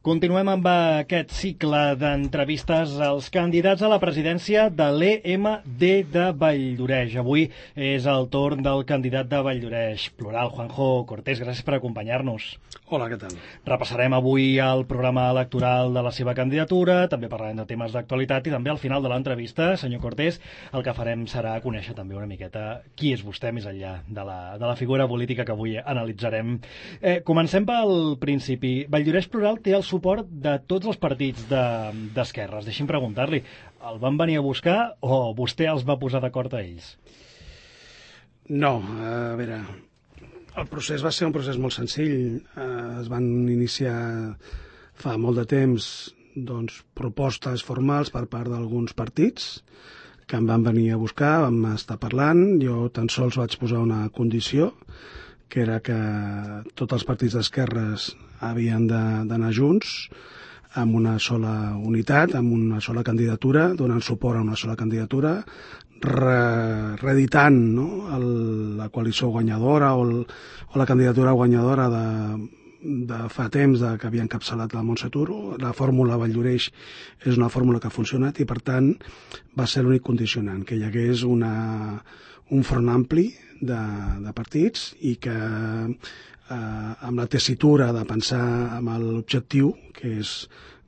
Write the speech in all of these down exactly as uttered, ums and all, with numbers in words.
Continuem amb aquest cicle d'entrevistes als candidats a la presidència de l'E M D de Valldoreix. Avui és el torn del candidat de Valldoreix Plural, Juanjo Cortés. Gràcies per acompanyar-nos. Hola, què tal? Repassarem avui el programa electoral de la seva candidatura, també parlarem de temes d'actualitat i també al final de l'entrevista, senyor Cortés, el que farem serà conèixer també una miqueta qui és vostè més enllà de la, de la figura política que avui analitzarem. Eh, comencem pel principi. Valldoreix Plural té el suport de tots els partits d'esquerres. De, Deixi'm preguntar-li, el van venir a buscar o vostè els va posar d'acord a ells? No, a veure, el procés va ser un procés molt senzill. Es van iniciar fa molt de temps doncs, propostes formals per part d'alguns partits que em van venir a buscar, vam estar parlant, jo tan sols vaig posar una condició, que era que tots els partits d'esquerres havien d'anar junts amb una sola unitat, amb una sola candidatura, donant suport a una sola candidatura, re, reeditant no? el, la coalició guanyadora o, el, o la candidatura guanyadora de, de fa temps de, que havia encapçalat la Montse Turo. La fórmula Valldoreix és una fórmula que ha funcionat i, per tant, va ser l'únic condicionant, que hi hagués una, un front ampli de, de partits i que eh, amb la tessitura de pensar amb l'objectiu, que és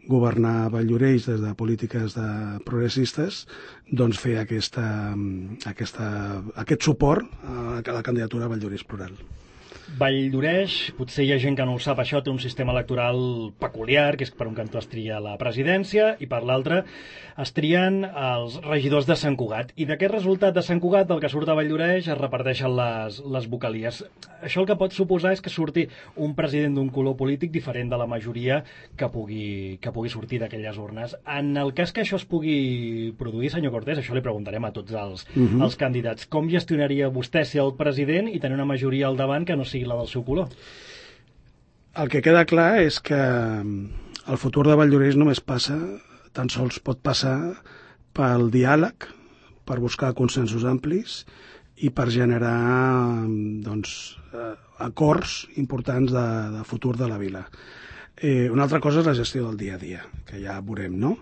governar Valldoreix des de polítiques de progressistes, doncs fer aquesta, aquesta, aquest suport a la candidatura Valldoreix Plural. Valldoreix, potser hi ha gent que no ho sap, això té un sistema electoral peculiar, que és que per un cantó es tria la presidència i per l'altre es trien els regidors de Sant Cugat. I d'aquest resultat de Sant Cugat, del que surt a Valldoreix, es reparteixen les, les vocalies. Això el que pot suposar és que surti un president d'un color polític diferent de la majoria que pugui, que pugui sortir d'aquelles urnes. En el cas que això es pugui produir, senyor Cortés, això li preguntarem a tots els, uh-huh. els candidats. Com gestionaria vostè ser el president i tenir una majoria al davant que no sigui la del seu color? El que queda clar és que el futur de Valldoreix només passa, tan sols pot passar pel diàleg, per buscar consensos amplis i per generar doncs, acords importants de, de futur de la vila. Eh, una altra cosa és la gestió del dia a dia, que ja veurem, no?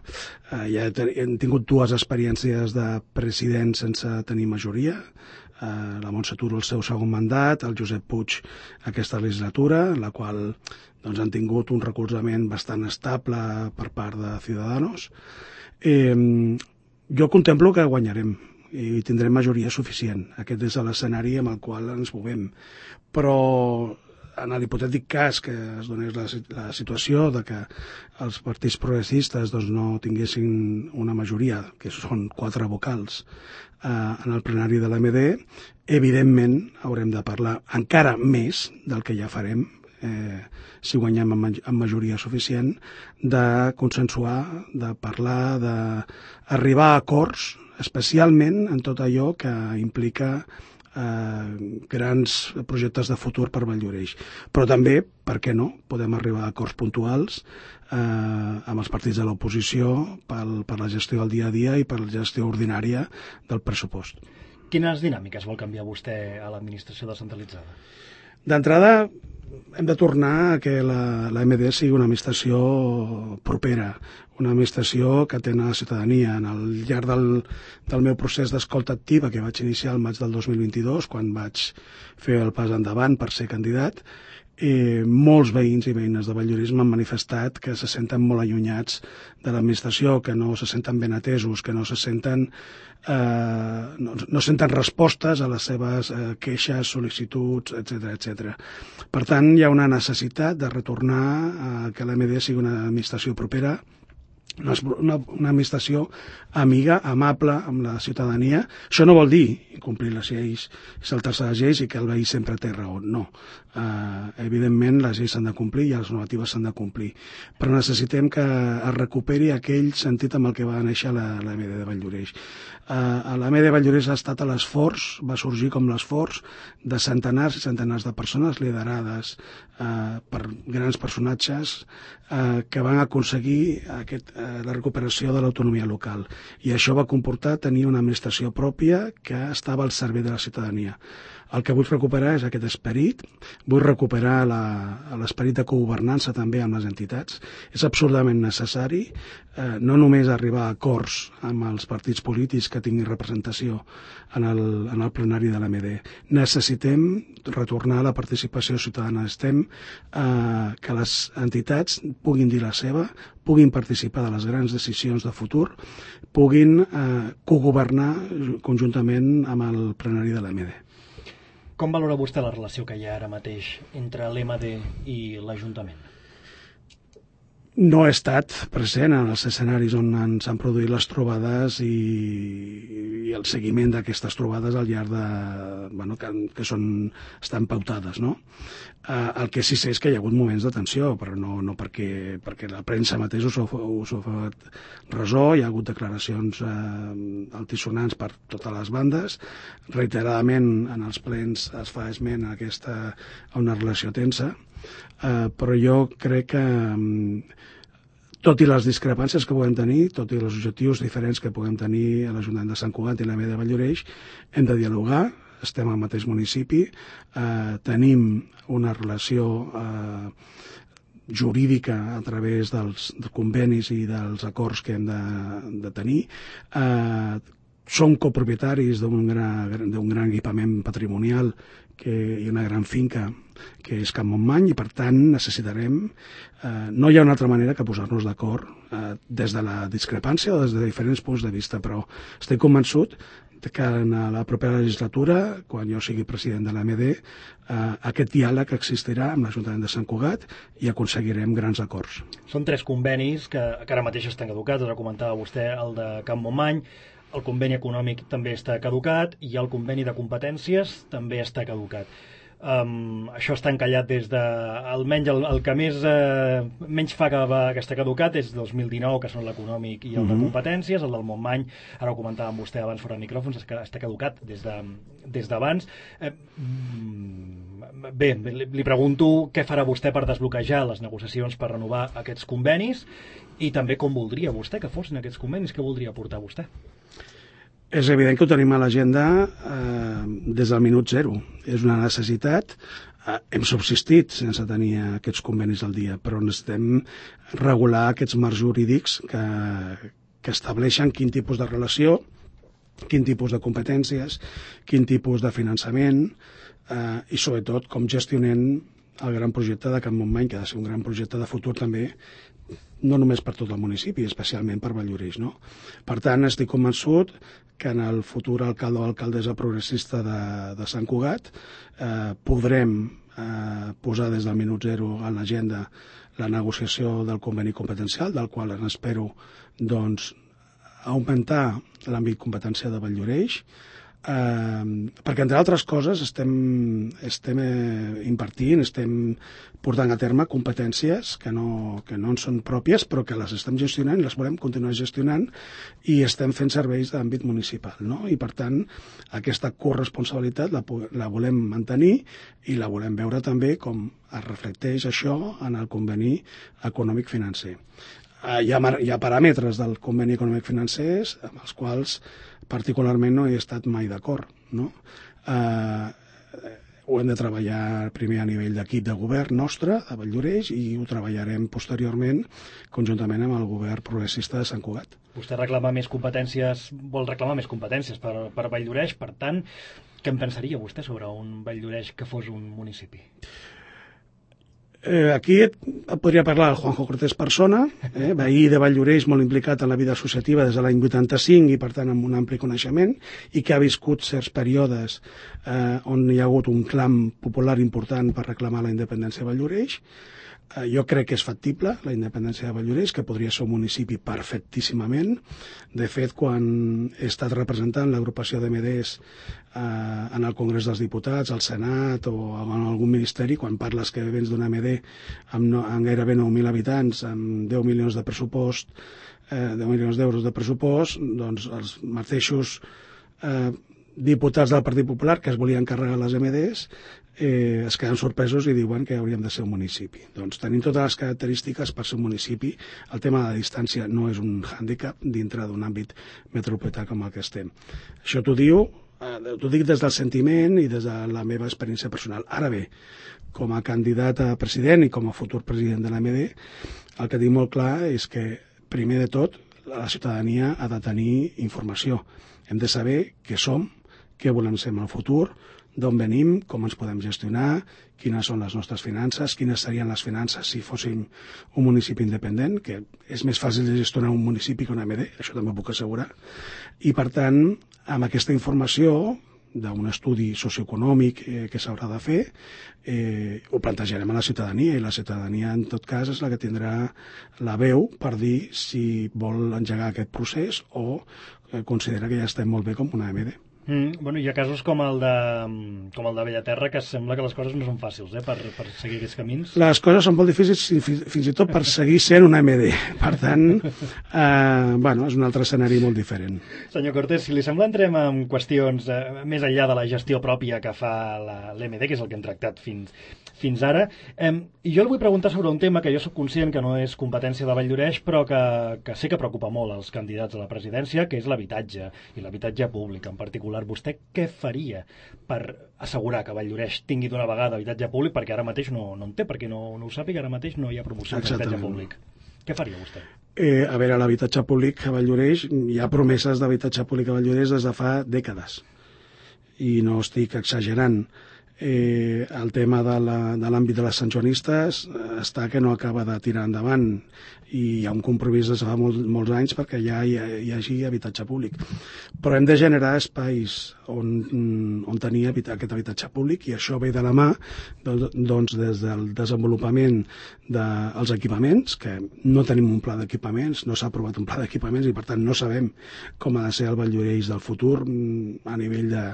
Eh, ja hem tingut dues experiències de president sense tenir majoria, eh, la Montse Turo el seu segon mandat, el Josep Puig aquesta legislatura, en la qual doncs, han tingut un recolzament bastant estable per part de Ciudadanos. Eh, jo contemplo que guanyarem i tindrem majoria suficient. Aquest és l'escenari amb el qual ens movem. Però en l'hipotètic cas que es donés la, la situació de que els partits progressistes doncs, no tinguessin una majoria, que són quatre vocals, eh, en el plenari de l'A M D, evidentment haurem de parlar encara més del que ja farem, eh, si guanyem amb, amb majoria suficient, de consensuar, de parlar, d'arribar a acords, especialment en tot allò que implica Eh, grans projectes de futur per Valldoreix. Però també, per què no, podem arribar a acords puntuals eh, amb els partits de l'oposició per, per la gestió del dia a dia i per la gestió ordinària del pressupost. Quines dinàmiques vol canviar vostè a l'administració descentralitzada? D'entrada, hem de tornar a que la, la M D sigui una administració propera, una administració que atén a la ciutadania. En el llarg del, del meu procés d'escolta activa, que vaig iniciar el maig del dos mil vint-i-dos, quan vaig fer el pas endavant per ser candidat, eh, molts veïns i veïnes de Valldoreix m'han manifestat que se senten molt allunyats de l'administració, que no se senten ben atesos, que no se senten eh, no, no senten respostes a les seves eh, queixes, sol·licituds, etcètera, etcètera. Per tant, hi ha una necessitat de retornar a que l'A M D sigui una administració propera, una, una, una administració amiga, amable amb la ciutadania. Això no vol dir incomplir les lleis, saltar-se les lleis i que el veí sempre té raó, no. Uh, evidentment les lleis s'han de complir i les normatives s'han de complir, però necessitem que es recuperi aquell sentit amb el que va néixer la, la M D de Valldoreix. Uh, l'A M D de Valldoreix ha estat a l'esforç, va sorgir com l'esforç de centenars i centenars de persones liderades eh, per grans personatges eh, que van aconseguir aquest, eh, la recuperació de l'autonomia local. I això va comportar tenir una administració pròpia que estava al servei de la ciutadania. El que vull recuperar és aquest esperit, vull recuperar l'esperit de cogovernança també amb les entitats. És absolutament necessari eh, no només arribar a acords amb els partits polítics que tinguin representació en el, en el plenari de l'A M D. Necessitem retornar a la participació ciutadana. Estem eh, que les entitats puguin dir la seva, puguin participar de les grans decisions de futur, puguin eh, cogovernar conjuntament amb el plenari de l'A M D. Com valora vostè la relació que hi ha ara mateix entre l'E M D i l'Ajuntament? No he estat present en els escenaris on s'han produït les trobades i, i el seguiment d'aquestes trobades al llarg de... Bueno, que, que són, estan pautades, no? Eh, el que sí sé és que hi ha hagut moments de tensió, però no, no perquè, perquè la premsa mateix us ha fet ressò, hi ha hagut declaracions eh, altisonants per totes les bandes, reiteradament en els plens es fa esment a, aquesta, a una relació tensa, eh, però jo crec que tot i les discrepàncies que puguem tenir, tot i els objectius diferents que puguem tenir a l'Ajuntament de Sant Cugat i l'A M D de Valldoreix, hem de dialogar, estem al mateix municipi, eh, tenim una relació eh, jurídica a través dels, dels convenis i dels acords que hem de, de tenir. Eh, som copropietaris d'un gran, d'un gran equipament patrimonial que, i una gran finca que és Can Montmany, i per tant necessitarem, eh, no hi ha una altra manera que posar-nos d'acord eh, des de la discrepància o des de diferents punts de vista, però estic convençut que en la propera legislatura, quan jo sigui president de l'A M D, eh, aquest diàleg existirà amb l'Ajuntament de Sant Cugat i aconseguirem grans acords. Són tres convenis que, que ara mateix estan caducats, ara comentava vostè el de Can Montmany, el conveni econòmic també està caducat i el conveni de competències també està caducat. Um, això està encallat des de, almenys el, el que més eh, menys fa que, va, que està caducat és dos mil dinou, que són l'econòmic i el de competències. El del Montmany, ara ho comentava amb vostè abans fora de micròfons, està caducat des de, des d'abans. Eh, bé, li, li pregunto què farà vostè per desbloquejar les negociacions per renovar aquests convenis i també com voldria vostè que fossin aquests convenis, què voldria portar vostè? És evident que ho tenim a l'agenda eh, des del minut zero. És una necessitat. Eh, hem subsistit sense tenir aquests convenis al dia, però necessitem regular aquests marcs jurídics que, que estableixen quin tipus de relació, quin tipus de competències, quin tipus de finançament eh, i sobretot com gestionem el gran projecte de Can Montmany, que ha de ser un gran projecte de futur també, no només per tot el municipi, especialment per Valldoreix, no? Per tant, estic convençut que en el futur alcalde o alcaldessa progressista de, de Sant Cugat eh, podrem eh, posar des del minut zero en l'agenda la negociació del conveni competencial, del qual en espero doncs, augmentar l'àmbit competencial de Valldoreix, eh, perquè entre altres coses estem, estem eh, impartint, estem portant a terme competències que no, que no en són pròpies però que les estem gestionant i les volem continuar gestionant i estem fent serveis d'àmbit municipal, no? I per tant aquesta corresponsabilitat la, la volem mantenir i la volem veure també com es reflecteix això en el conveni econòmic financer. Eh, hi, ha, hi ha paràmetres del conveni econòmic financer amb els quals particularment no he estat mai d'acord, no? Eh, ho hem de treballar primer a nivell d'equip de govern nostre, a Valldoreix, i ho treballarem posteriorment conjuntament amb el govern progressista de Sant Cugat. Vostè reclama més competències, vol reclamar més competències per, per Valldoreix, per tant, què en pensaria vostè sobre un Valldoreix que fos un municipi? Eh, aquí podria parlar el Juanjo Cortés persona, eh, veí de Valldoreix molt implicat en la vida associativa des de l'any vuitanta-cinc i per tant amb un ampli coneixement i que ha viscut certs períodes eh, on hi ha hagut un clam popular important per reclamar la independència de Valldoreix. Eh, jo crec que és factible la independència de Valldoreix, que podria ser un municipi perfectíssimament. De fet, quan he estat representant l'agrupació d'A M Ds eh, en el Congrés dels Diputats, al Senat o en algun ministeri, quan parles que vens d'una A M D amb, no, amb gairebé nou mil habitants, amb deu milions de pressupost, eh, deu milions d'euros de pressupost, doncs els mateixos eh, diputats del Partit Popular que es volien carregar les A M Ds eh, es queden sorpresos i diuen que hauríem de ser un municipi. Doncs tenim totes les característiques per ser un municipi. El tema de la distància no és un hàndicap dintre d'un àmbit metropolità com el que estem. Això t'ho diu, eh, t'ho dic des del sentiment i des de la meva experiència personal. Ara bé, com a candidat a president i com a futur president de l'A M D, el que dic molt clar és que, primer de tot, la ciutadania ha de tenir informació. Hem de saber què som, què volem ser en el futur, d'on venim, com ens podem gestionar, quines són les nostres finances, quines serien les finances si fóssim un municipi independent, que és més fàcil de gestionar un municipi que una A M D, això també ho puc assegurar. I, per tant, amb aquesta informació d'un estudi socioeconòmic eh, que s'haurà de fer, eh, ho plantejarem a la ciutadania, i la ciutadania, en tot cas, és la que tindrà la veu per dir si vol engegar aquest procés o eh, considera que ja estem molt bé com una A M D. Mm, bueno, hi ha casos com el de, com el de Bellaterra, que sembla que les coses no són fàcils eh, per, per seguir aquests camins. Les coses són molt difícils fins, fins i tot per seguir sent una A M D. Per tant, eh, bueno, és un altre escenari molt diferent. Senyor Cortés, si li sembla, entrem en qüestions eh, més enllà de la gestió pròpia que fa l'A M D, que és el que hem tractat fins, fins ara. Eh, I jo li vull preguntar sobre un tema que jo sóc conscient que no és competència de Valldoreix, però que, que sé que preocupa molt els candidats a la presidència, que és l'habitatge, i l'habitatge públic en particular. Vostè què faria per assegurar que Valldoreix tingui d'una vegada habitatge públic, perquè ara mateix no, no en té, perquè no, no ho sàpiga, ara mateix no hi ha promoció d'habitatge públic. Què faria vostè? Eh, a veure, l'habitatge públic a Valldoreix, hi ha promeses d'habitatge públic a Valldoreix des de fa dècades. I no estic exagerant. Eh, el tema de l'àmbit de, de les santjoanistes està que no acaba de tirar endavant i hi ha un compromís des de fa molt, molts anys perquè ja hi, hi hagi habitatge públic. Però hem de generar espais on, on tenir habita, aquest habitatge públic, i això ve de la mà doncs, des del desenvolupament dels equipaments, que no tenim un pla d'equipaments, no s'ha aprovat un pla d'equipaments i per tant no sabem com ha de ser el Valldoreix del futur a nivell de,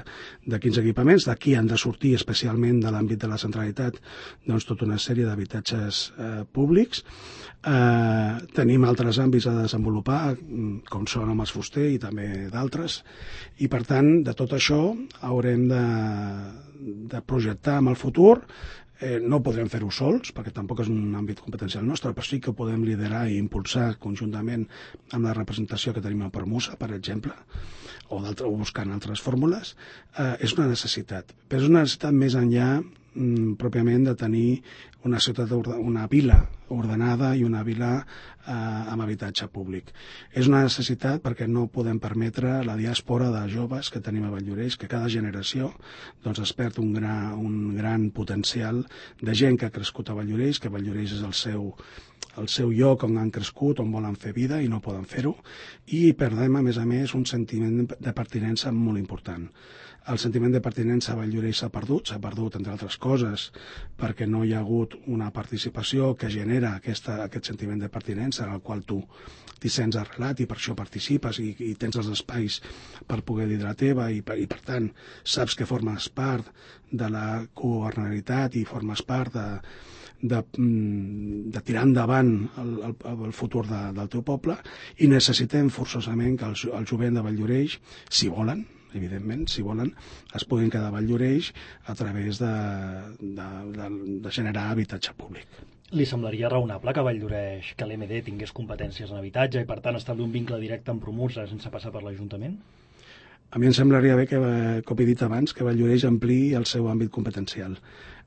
de quins equipaments. D'aquí han de sortir especialment de l'àmbit de la centralitat doncs, tota una sèrie d'habitatges eh, públics. Eh, tenim altres àmbits a desenvolupar, com són el Mas Fuster i també d'altres, i per tant de tot això haurem de, de projectar en el futur. Eh, no podrem fer-ho sols, perquè tampoc és un àmbit competencial nostre, però sí que ho podem liderar i impulsar conjuntament amb la representació que tenim a Permusa, per exemple, o, o buscant altres fórmules. Eh, és una necessitat, però és una necessitat més enllà mm, pròpiament de tenir una ciutat, una vila ordenada i una vila eh, amb habitatge públic. És una necessitat perquè no podem permetre la diàspora de joves que tenim a Valldoreix, que cada generació doncs, es perd un, gra, un gran potencial de gent que ha crescut a Valldoreix, que Valldoreix és el seu, el seu lloc on han crescut, on volen fer vida i no poden fer-ho, i perdem, a més a més, un sentiment de pertinença molt important. El sentiment de pertinença a Valldoreix s'ha perdut, s'ha perdut, entre altres coses, perquè no hi ha hagut una participació que genera aquesta, aquest sentiment de pertinença en el qual tu t'hi sents arrelat i per això participes i, i tens els espais per poder dir de la teva i per, i per tant saps que formes part de la governabilitat i formes part de, de, de tirar endavant el, el, el futur de, del teu poble, i necessitem forçosament que el, el jovent de Valldoreix, si volen, evidentment, si volen, es puguin quedar a Valldoreix a través de, de, de, de generar habitatge públic. Li semblaria raonable que Valldoreix, que l'A M D tingués competències en habitatge i per tant establir un vincle directe amb Promusa sense passar per l'Ajuntament? A mi em semblaria bé que, com he dit abans, que Valldoreix ampliï el seu àmbit competencial.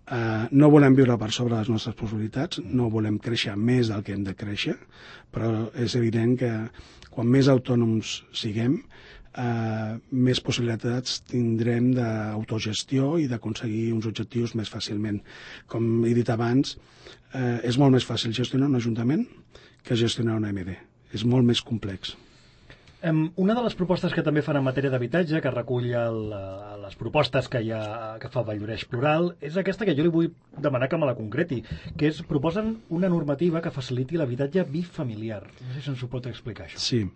Uh, no volem viure per sobre les nostres possibilitats, no volem créixer més del que hem de créixer, però és evident que quan més autònoms siguem, Uh, més possibilitats tindrem d'autogestió i d'aconseguir uns objectius més fàcilment. Com he dit abans, uh, és molt més fàcil gestionar un ajuntament que gestionar una A M D. És molt més complex. Um, una de les propostes que també fan en matèria d'habitatge, que recull el, les propostes que, hi ha, que fa Valldoreix Plural, és aquesta que jo li vull demanar que me la concreti, que és, proposen una normativa que faciliti l'habitatge bifamiliar. No sé si ens ho pot explicar, això. Sí.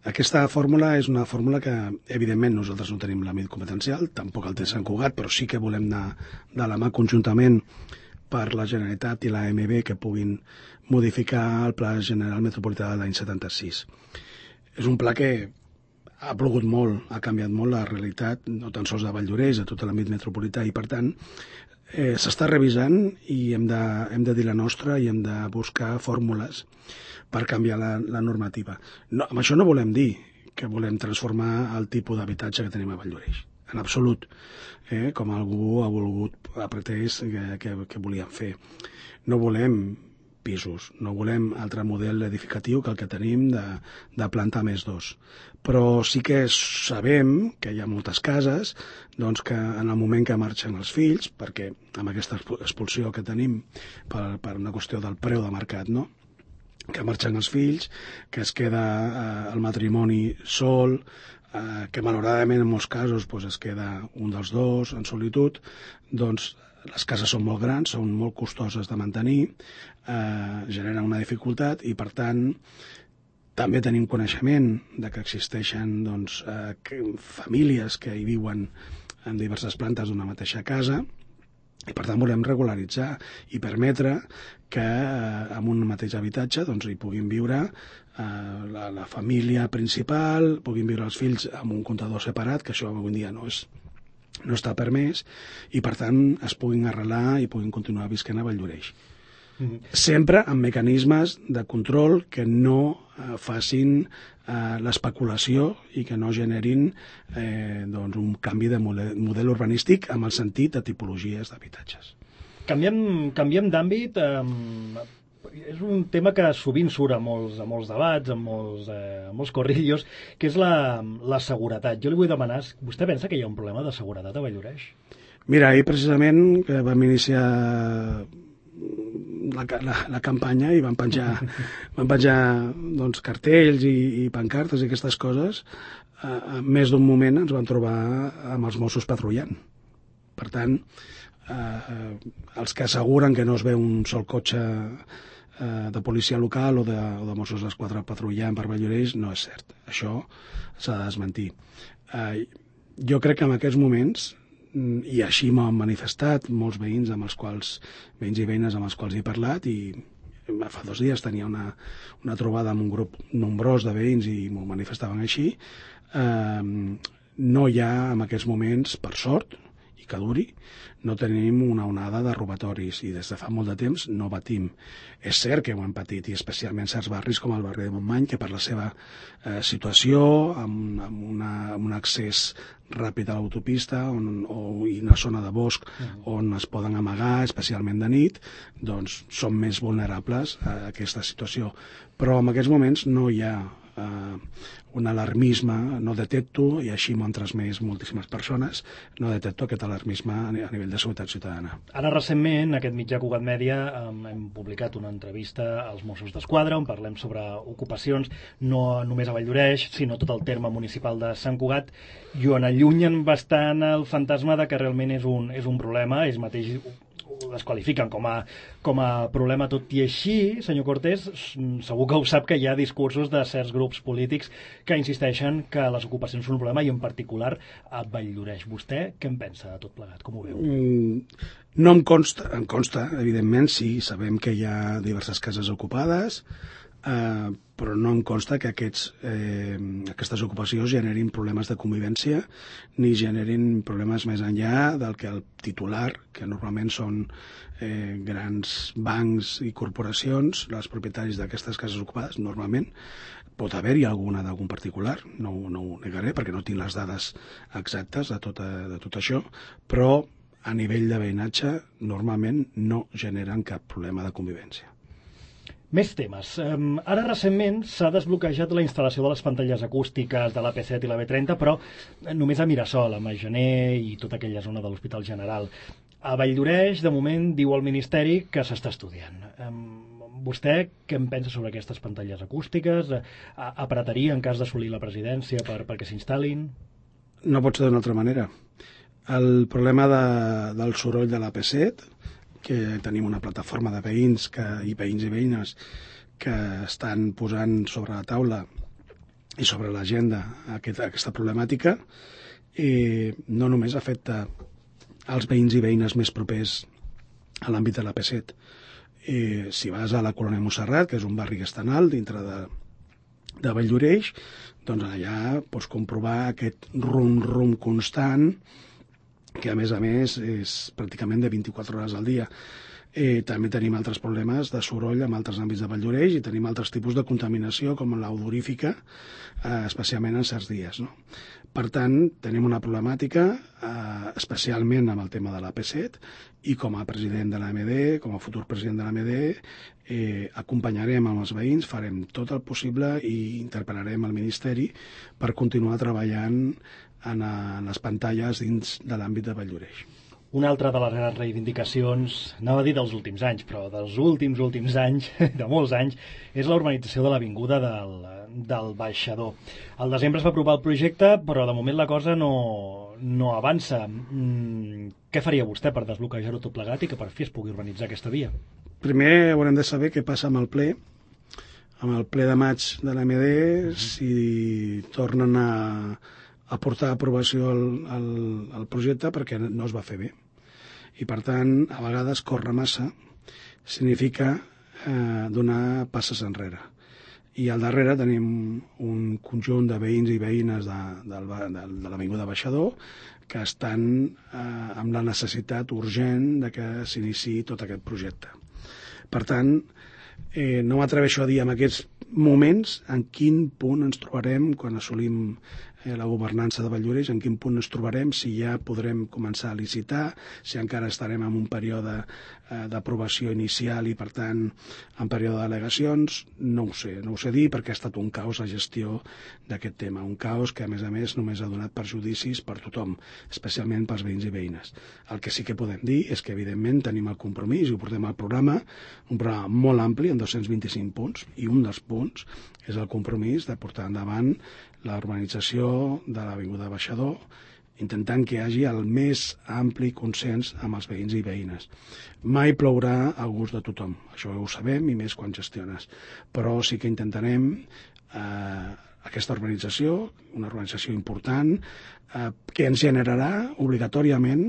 Aquesta fórmula és una fórmula que, evidentment, nosaltres no tenim l'àmbit competencial, tampoc el té Sant Cugat, però sí que volem anar de la mà conjuntament per la Generalitat i la A M B que puguin modificar el Pla General Metropolità de l'any setanta-sis. És un pla que ha plogut molt, ha canviat molt la realitat, no tan sols de Valldoreix, a tot l'àmbit metropolità, i per tant eh, s'està revisant i hem de, hem de dir la nostra i hem de buscar fórmules per canviar la, la normativa. No, amb això no volem dir que volem transformar el tipus d'habitatge que tenim a Valldoreix, en absolut, eh, com algú ha volgut, ha pretès que, que, que volíem fer. No volem pisos, no volem altre model edificatiu que el que tenim de, de planta més dos. Però sí que sabem que hi ha moltes cases doncs, que en el moment que marxen els fills, perquè amb aquesta expulsió que tenim per, per una qüestió del preu de mercat, no? Que marxen els fills, que es queda eh, el matrimoni sol, eh, que malauradament en molts casos doncs, es queda un dels dos en solitud, doncs les cases són molt grans, són molt costoses de mantenir, eh, generen una dificultat i, per tant, també tenim coneixement de que existeixen doncs, eh, que, famílies que hi viuen en diverses plantes d'una mateixa casa i, per tant, volem regularitzar i permetre que eh, en un mateix habitatge doncs, hi puguin viure eh, la, la família principal, puguin viure els fills amb un comptador separat, que això avui dia no és no està permès, i per tant es puguin arrelar i puguin continuar visquent a Valldoreix. Mm-hmm. Sempre amb mecanismes de control que no eh, facin eh, l'especulació i que no generin eh, doncs un canvi de model, model urbanístic amb el sentit de tipologies d'habitatges. Canviem, canviem d'àmbit. Eh, és un tema que sovint surt a molts, a molts debats, a molts, eh, a molts corrillos, que és la, la seguretat. Jo li vull demanar, vostè pensa que hi ha un problema de seguretat a Valldoreix? Mira, ahir precisament que vam iniciar la, la, la campanya i van penjar, van penjar doncs, cartells i, i pancartes i aquestes coses, eh, en més d'un moment ens vam trobar amb els Mossos patrullant. Per tant, eh, els que asseguren que no es veu un sol cotxe de policia local o de, o de Mossos d'Esquadra patrullant per Valldoreix no és cert. Això s'ha de desmentir. Eh, jo crec que en aquests moments, i així m'han manifestat molts veïns amb els quals, veïns i veïnes amb els quals he parlat, i fa dos dies tenia una, una trobada amb un grup nombrós de veïns i m'ho manifestaven així, eh, no hi ha en aquests moments, per sort, i que duri, no tenim una onada de robatoris i des de fa molt de temps no patim. És cert que ho hem patit, i especialment certs barris com el barri de Montmany, que per la seva eh, situació, amb, amb, una, amb un accés ràpid a l'autopista on, o, i una zona de bosc on es poden amagar, especialment de nit, doncs són més vulnerables a aquesta situació. Però en aquests moments no hi ha eh, un alarmisme, no detecto, i així m'ho han transmès moltíssimes persones, no detecto aquest alarmisme a nivell de seguretat ciutadana. Ara, recentment, aquest mitjà Cugat Mèdia hem publicat una entrevista als Mossos d'Esquadra on parlem sobre ocupacions, no només a Valldoreix, sinó tot el terme municipal de Sant Cugat, i on allunyen bastant el fantasma de que realment és un, és un problema. Ells mateix ho desqualifiquen com a, com a problema. Tot i així, senyor Cortés, segur que ho sap, que hi ha discursos de certs grups polítics que insisteixen que les ocupacions són un problema, i en particular a Valldoreix. Vostè què en pensa de tot plegat? Com ho veu? Mm, no em consta, em consta, evidentment, sí, sabem que hi ha diverses cases ocupades, eh, però no em consta que aquests, eh, aquestes ocupacions generin problemes de convivència ni generin problemes més enllà del que el titular, que normalment són eh, grans bancs i corporacions, els propietaris d'aquestes cases ocupades, normalment, pot haver-hi alguna d'algun particular, no, no ho negaré perquè no tinc les dades exactes de tot, de tot això, però a nivell de veïnatge normalment no generen cap problema de convivència. Més temes. Um, ara recentment s'ha desbloquejat la instal·lació de les pantalles acústiques de l'A P set i la B trenta, però només a Mirasol, a Magener i tota aquella zona de l'Hospital General. A Valldoreix, de moment, diu el Ministeri que s'està estudiant. Um, vostè què en pensa sobre aquestes pantalles acústiques? A apretaria en cas d'assolir la presidència per, perquè s'instal·lin? No pot ser d'una altra manera. El problema de, del soroll de l'A P set, que tenim una plataforma de veïns que, i veïns i veïnes que estan posant sobre la taula i sobre l'agenda aquesta, aquesta problemàtica, i no només afecta als veïns i veïnes més propers a l'àmbit de l'A P set. I si vas a la Colònia Montserrat, que és un barri que és tan alt dintre de, de Valldoreix, doncs allà pots comprovar aquest rum-rum constant, que a més a més és pràcticament de vint-i-quatre hores al dia. Eh, també tenim altres problemes de soroll en altres àmbits de Valldoreix i tenim altres tipus de contaminació com l'odorífica, eh, especialment en certs dies, no? Per tant, tenim una problemàtica, eh, especialment amb el tema de l'A P set, i com a president de l'A M D, com a futur president de l'A M D, eh, acompanyarem amb els veïns, farem tot el possible i interpel·larem al Ministeri per continuar treballant en, en les pantalles dins de l'àmbit de Valldoreix. Una altra de les grans reivindicacions, anava a dir dels últims anys, però dels últims, últims anys, de molts anys, és la urbanització de l'avinguda del, del Baixador. Al desembre es va aprovar el projecte, però de moment la cosa no, no avança. Mm, què faria vostè per desbloquejar-ho tot plegat i que per fi es pugui urbanitzar aquesta via? Primer haurem de saber què passa amb el ple, amb el ple de maig de l'A M D, uh-huh. si tornen a a portar a aprovació el, el, el projecte perquè no es va fer bé. I, per tant, a vegades córrer massa significa eh, donar passes enrere. I al darrere tenim un conjunt de veïns i veïnes de, de, de, de l'Avinguda Baixador que estan eh, amb la necessitat urgent de que s'iniciï tot aquest projecte. Per tant, eh, no m'atreveixo a dir en aquests moments en quin punt ens trobarem quan assolim eh, la governança de Valldoreix, en quin punt ens trobarem, si ja podrem començar a licitar, si encara estarem en un període eh, d'aprovació inicial i, per tant, en període d'al·legacions, no ho sé, no ho sé dir perquè ha estat un caos la gestió d'aquest tema, un caos que, a més a més, només ha donat perjudicis per tothom, especialment pels veïns i veïnes. El que sí que podem dir és que, evidentment, tenim el compromís i ho portem al programa, un programa molt ampli, amb dos-cents vint-i-cinc punts, i un dels punts és el compromís de portar endavant la urbanització de l'Avinguda Baixador, intentant que hi hagi el més ampli consens amb els veïns i veïnes. Mai plourà al gust de tothom, això ho sabem, i més quan gestiones. Però sí que intentarem eh, aquesta urbanització, una urbanització important, eh, que ens generarà obligatòriament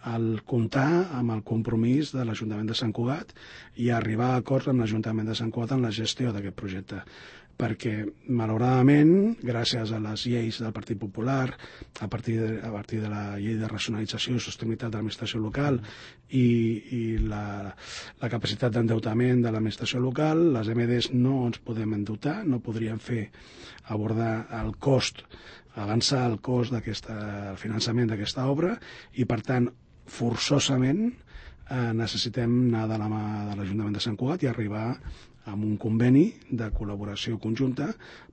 el comptar amb el compromís de l'Ajuntament de Sant Cugat i arribar a acords amb l'Ajuntament de Sant Cugat en la gestió d'aquest projecte. Perquè, malauradament, gràcies a les lleis del Partit Popular, a partir de, a partir de la llei de racionalització i sostenibilitat de l'administració local i, i la, la capacitat d'endeutament de l'administració local, les M Ds no ens podem endeutar, no podríem fer abordar el cost, avançar el cost d'aquest finançament d'aquesta obra i, per tant, forçosament eh, necessitem anar de la mà de l'Ajuntament de Sant Cugat i arribar amb un conveni de col·laboració conjunta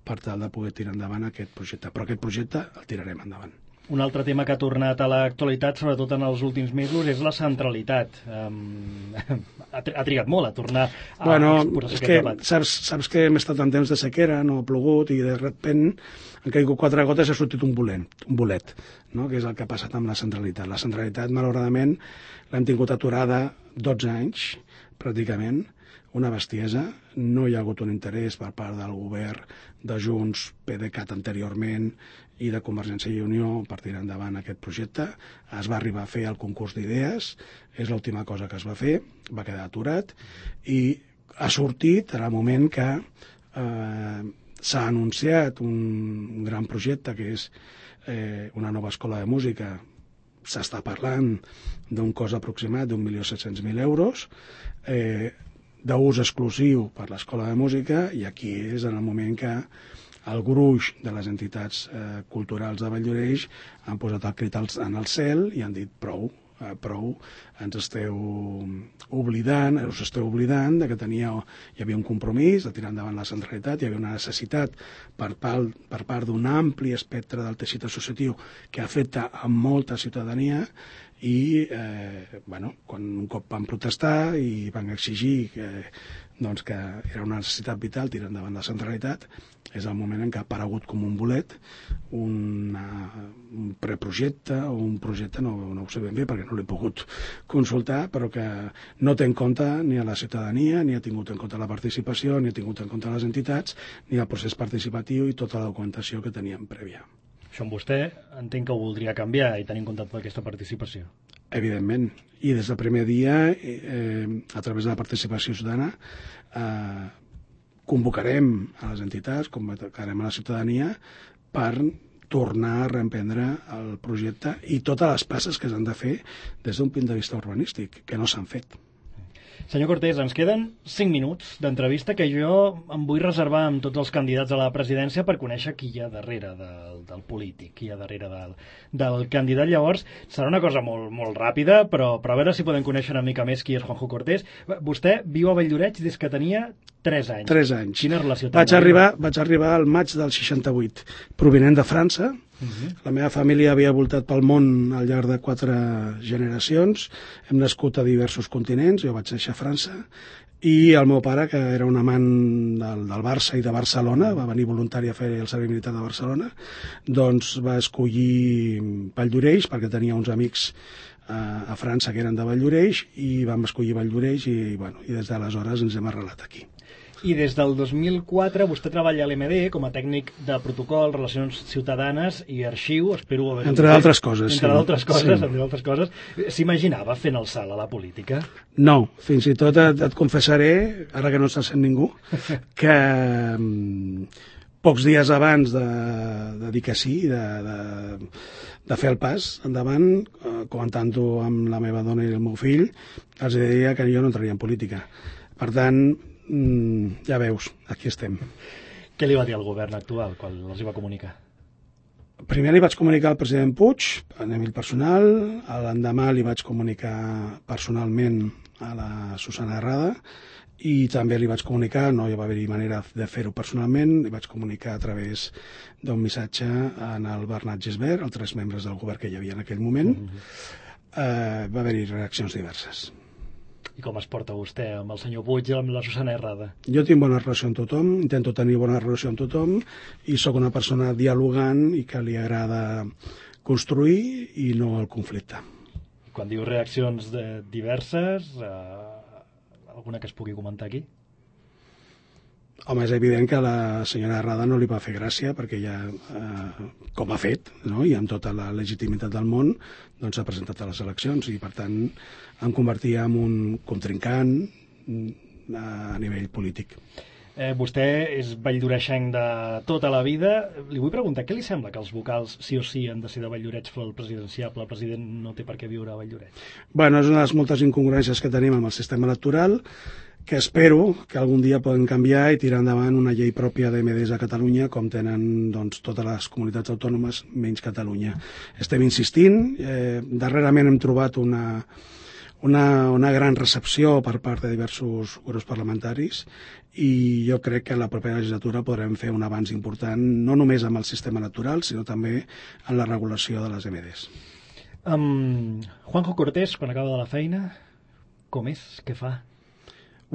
per tal de poder tirar endavant aquest projecte. Però aquest projecte el tirarem endavant. Un altre tema que ha tornat a l'actualitat, sobretot en els últims mesos, és la centralitat. Um, ha, ha trigat molt a tornar a bueno, exposar és aquest que, debat. Saps, saps que hem estat en temps de sequera, no ha plogut, i de repent han caigut quatre gotes i ha sortit un bolet, un bolet, no? Que és el que ha passat amb la centralitat. La centralitat, malauradament, l'hem tingut aturada dotze anys, pràcticament, una bestiesa. No hi ha hagut un interès per part del govern de Junts, PDeCAT anteriorment i de Convergència i Unió per tirar endavant aquest projecte. Es va arribar a fer el concurs d'idees, és l'última cosa que es va fer, va quedar aturat i ha sortit en el moment que eh, s'ha anunciat un, un gran projecte que és eh, una nova escola de música. S'està parlant d'un cost aproximat d'un milió set-cents mil euros, eh, d'ús exclusiu per l'Escola de Música, i aquí és en el moment que el gruix de les entitats eh, culturals de Valldoreix han posat el crit en el cel i han dit prou, eh, prou, ens esteu oblidant, us esteu oblidant de que tenia, hi havia un compromís de tirar endavant la centralitat, hi havia una necessitat per part, per part d'un ampli espectre del teixit associatiu que afecta a molta ciutadania i eh, bueno, quan un cop van protestar i van exigir que, doncs, que era una necessitat vital tirar endavant la centralitat, és el moment en què ha aparegut com un bolet una, un preprojecte o un projecte, no, no ho sé ben bé perquè no l'he pogut consultar, però que no té en compte ni a la ciutadania, ni ha tingut en compte la participació, ni ha tingut en compte les entitats, ni el procés participatiu i tota la documentació que teníem prèvia. Això amb vostè entenc que ho voldria canviar i tenir en compte tota aquesta participació. Evidentment. I des del primer dia, eh, a través de la participació ciutadana, eh, convocarem a les entitats, convocarem a la ciutadania per tornar a reemprendre el projecte i totes les passes que s'han de fer des d'un punt de vista urbanístic, que no s'han fet. Senyor Cortés, ens queden cinc minuts d'entrevista que jo em vull reservar amb tots els candidats a la presidència per conèixer qui hi ha darrere del, del polític, qui hi ha darrere del, del candidat. Llavors, serà una cosa molt, molt ràpida, però, però a veure si podem conèixer una mica més qui és Juanjo Cortés. Vostè viu a Valldoreix des que tenia tres anys. tres anys. Quina relació té? Vaig arribar, vaig arribar al maig del seixanta-vuit, provinent de França. Uh-huh. La meva família havia voltat pel món al llarg de quatre generacions. Hem nascut a diversos continents, jo vaig néixer a França, i el meu pare, que era un amant del, del Barça i de Barcelona, va venir voluntari a fer el servei militar de Barcelona, doncs va escollir Valldoreix, perquè tenia uns amics a, a França que eren de Valldoreix, i vam escollir Valldoreix, i, bueno, i des d'aleshores ens hem arrelat aquí. I des del dos mil quatre vostè treballa a l'E M D com a tècnic de protocol, relacions ciutadanes i arxiu, espero haver... Entre d'altres coses, Entre sí. d'altres coses, Sí. entre d'altres coses. S'imaginava fent el salt a la política? No, fins i tot et, et confessaré, ara que no se sent ningú, que mm, pocs dies abans de, de dir que sí, de, de, de fer el pas endavant, eh, comentant-ho amb la meva dona i el meu fill, els deia que jo no entraria en política. Per tant, mm, ja veus, aquí estem. Què li va dir al govern actual quan els hi va comunicar? Primer li vaig comunicar al president Puig, a nivell personal, l'endemà li vaig comunicar personalment a la Susana Herrada, i també li vaig comunicar, no hi va haver manera de fer-ho personalment, li vaig comunicar a través d'un missatge en el Bernat Gisbert, els tres membres del govern que hi havia en aquell moment. eh, va haver-hi reaccions diverses. I com es porta vostè amb el senyor Puig i amb la Susana Herrada? Jo tinc bona relació amb tothom, intento tenir bona relació amb tothom, i sóc una persona dialogant i que li agrada construir i no el conflicte. Quan diu reaccions de diverses, eh, alguna que es pugui comentar aquí? Home, és evident que a la senyora Herrada no li va fer gràcia, perquè ja, eh, com ha fet, no? I amb tota la legitimitat del món, doncs s'ha presentat a les eleccions, i per tant em convertia en un contrincant a nivell polític. Eh, vostè és valldoreixenc de tota la vida. Li vull preguntar, què li sembla que els vocals sí o sí han de ser de Valldoreix per al presidenciable? El president no té per què viure a Valldoreix. Bueno, és una de les moltes incongruències que tenim amb el sistema electoral, que espero que algun dia poden canviar i tirar endavant una llei pròpia d'E M Ds a Catalunya, com tenen doncs, totes les comunitats autònomes, menys Catalunya. Estem insistint, eh, darrerament hem trobat una, una, una gran recepció per part de diversos grups parlamentaris, i jo crec que en la propera legislatura podrem fer un avanç important, no només amb el sistema electoral, sinó també en la regulació de les E M Ds. Um, Juanjo Cortés, quan acaba de la feina, com és? Què fa?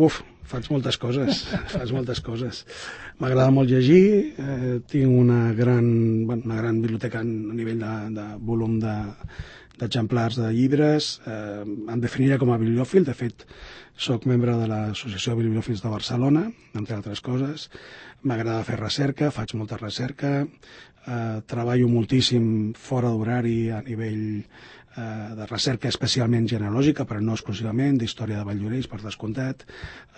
Uf, faig moltes coses, faig moltes coses. M'agrada molt llegir, eh, tinc una gran, bueno, una gran biblioteca a nivell de, de volum de, d'exemplars de llibres. Eh, em definiria com a bibliòfil, de fet, soc membre de l'Associació de Bibliòfils de Barcelona, entre altres coses. M'agrada fer recerca, faig molta recerca, eh, treballo moltíssim fora d'horari a nivell de recerca especialment genealògica, però no exclusivament, d'història de Valldoreix, per descomptat.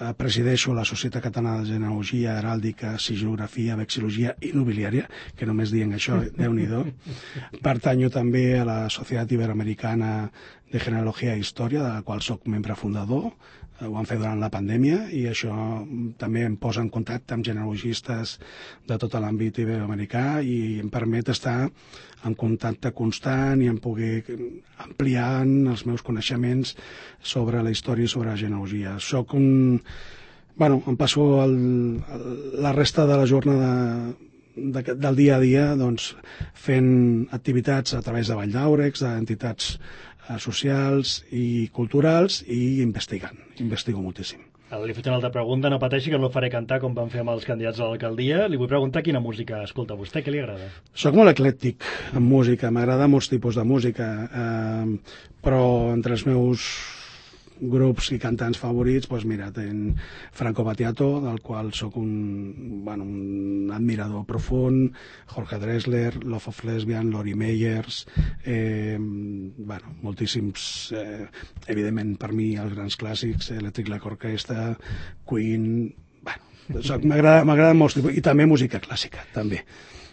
Eh, presideixo la Societat Catalana de Genealogia, Heràldica, Sigilografia, Vexil·logia i Nobiliària, que només dient això, Déu-n'hi-do. Pertanyo també a la Societat Iberoamericana de Genealogia i Història, de la qual soc membre fundador. Ho vam fer durant la pandèmia, i això també em posa en contacte amb genealogistes de tot l'àmbit iberoamericà i em permet estar en contacte constant i em pugui ampliar els meus coneixements sobre la història i sobre la genealogia. Soc un... Bueno, em passo el, el, la resta de la jornada de, del dia a dia doncs, fent activitats a través de Vall d'Àurex, d'entitats socials i culturals, i investigant. Investigo moltíssim. Ara li faig una altra pregunta, no pateixi que no el faré cantar com van fer amb els candidats a l'alcaldia. Li vull preguntar quina música escolta vostè, què li agrada? Soc molt eclèctic en música, m'agrada molts tipus de música, eh, però entre els meus grups i cantants favorits, doncs mira, ten Franco Battiato, del qual sóc un, bueno, un admirador profund, Jorge Drexler, Love of Lesbian, Lori Meyers, eh, bueno, moltíssims, eh, evidentment per mi els grans clàssics, Electric Light Orchestra, Queen, bueno, Soc, m'agrada, m'agrada molt, i també música clàssica, també.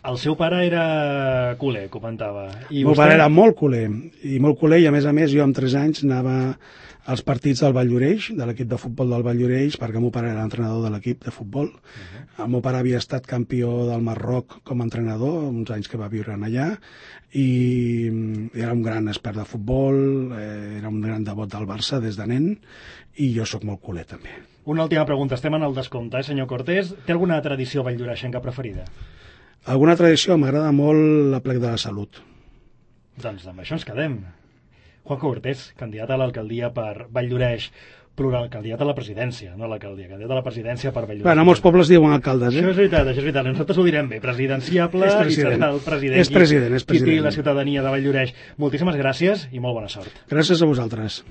El seu pare era culer, comentava. I el meu vostè... pare era molt culer, i molt culer, i a més a més jo amb tres anys anava als partits del Valldoreix, de l'equip de futbol del Valldoreix, perquè el meu pare era entrenador de l'equip de futbol. Uh-huh. El meu pare havia estat campió del Marroc com a entrenador, uns anys que va viure allà, i era un gran expert de futbol, eh, era un gran devot del Barça des de nen, i jo sóc molt culer també. Una última pregunta, estem en el descompte, eh, senyor Cortés. Té alguna tradició valldoreixenca preferida? Alguna tradició? M'agrada molt l'Aplec de la Salut. Doncs amb això ens quedem. Juanjo Cortés, candidat a l'alcaldia per Valldoreix, plural, candidat a la presidència, no a l'alcaldia, candidat a la presidència per Valldoreix. Bueno, molts pobles diuen alcaldes, eh? Això és veritat, això és veritat. Nosaltres ho direm bé, presidenciable, és president. I serà el president. És president, és president. Qui tingui la ciutadania de Valldoreix. Moltíssimes gràcies i molt bona sort. Gràcies a vosaltres.